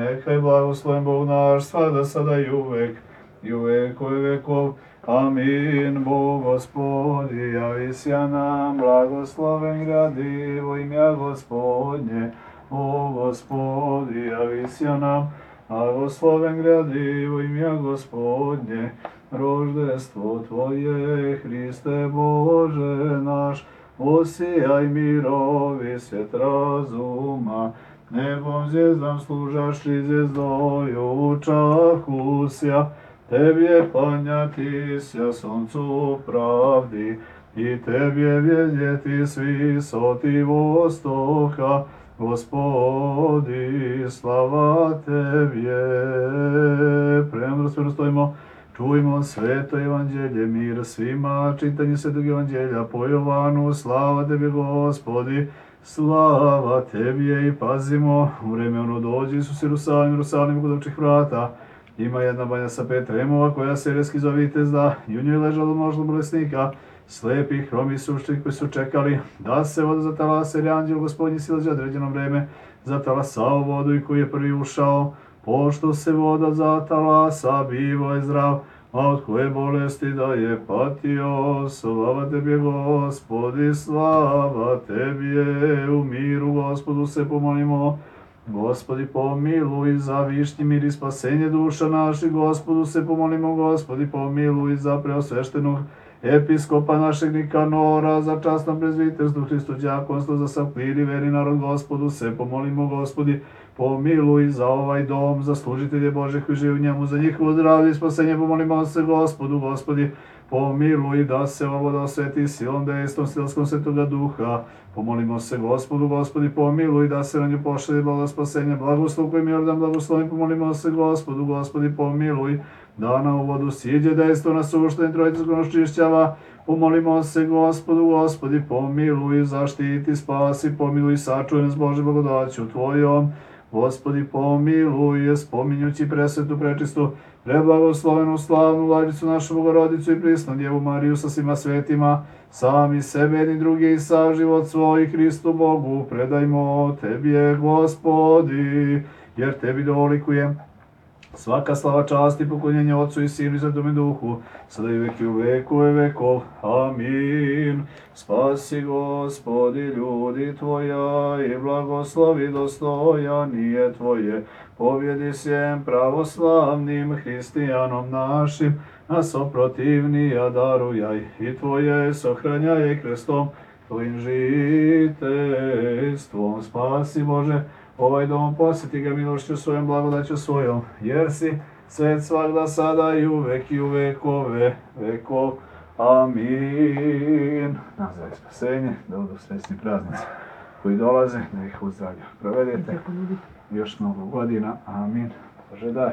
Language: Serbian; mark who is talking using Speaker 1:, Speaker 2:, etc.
Speaker 1: Neka je blagosloven Bog naš, svakda, sada i uvek vekov. Amin. Bog Gospodi, javi se nam, blagosloven gradivo imja Gospodnje. Bog Gospodi, javi se nam, blagosloven gradivo imja Gospodnje. Roždestvo Tvoje, Hriste Bože naš, osijaj mirovi svjet razuma. Nebom zvijezdam služašći zvijezdoju čahusja, Tebje klanjati sja soncu pravdi, i Tebje vidjeti s visoti vostoka. Gospodi, slava Tebje. Premdro stojimo, čujmo sveto evanđelje, mir svima, čitanje svetog evanđelja po Jovanu. Slava Tebi, Gospodi, slava Tebje. I pazimo, u vreme ono dođe Isus Jerusalim kod ovčih vrata. Ima jedna banja sa 5 tremova koja se reski zove Vitezda, i u njoj ležalo mnoštvo bolesnika, slepih, hromi, sušnih koji su čekali da se voda zatalasa, jer je anđel Gospodnji silazi određeno vreme zatalasao vodu, i koji je prvi ušao, pošto se voda zatalasa, bivo je zdrav, a od koje bolesti da je patio. Slava Tebi, Gospodi, slava Tebi. U miru Gospodu se pomolimo. Gospodi, pomiluj, za višnji mir i spasenje duša naših. Gospodu se pomolimo. Gospodi, pomiluj, za preosveštenog episkopa našeg Nikanora, za časno prezviterstvo, Hristo đakonstvo, za sav klir i veri narod. Gospodu se pomolimo. Gospodi, pomiluj, za ovaj dom, za služitelje Bože koji žive u njemu, za njihovo zdravlje i spasenje pomolimo se Gospodu. Gospodi, pomiluj, da se ova voda osveti silom dejstvom silskom Svetoga Duha. Pomolimo se Gospodu. Gospodi, pomiluj, da se na nju pošalje blago spasenje, blagoslov kojim Jordan blagoslovim. Pomolimo se Gospodu. Gospodi, pomiluj, da na ovu vodu siđe dejstvo na suštenje Trojice očišćava. Pomolimo se Gospodu. Gospodi, pomiluj, zaštiti, spasi, pomiluj, sačuvaj nas Bože blagodaću Tvojom. Gospodi, pomiluj, spominjući presvetu, prečistu, preblagoslovenu, slavnu Vladicu našu Bogorodicu i prisnu Djevu Mariju sa svima svetima, sami sebe jedni drugi i sav život svoj Hristu Bogu predajmo Tebje, Gospodi, jer Tebi dolikuje svaka slava, čast i poklonjenje Otcu i Sinu i Svetome Duhu, sada i uvek i u vekove vekov. Amin. Spasi, Gospodi, ljudi Tvoja, i blagoslovi dostojanije Tvoje. Pobjedi sjem pravoslavnim hristijanom našim, nas oprotivnija darujaj, i Tvoje sohranjaj krstom Tvojim žiteljstvom. Spasi, Bože, ovaj dom, posjeti ga milošću svojom, blagodaću svojom, jer si svet svagda, sada i u vekove vekov. Amin. Za spasenje, da budu srećni praznici koji dolaze, da ih u zdravlju provedete još mnogo godina. Amin. Bože daj.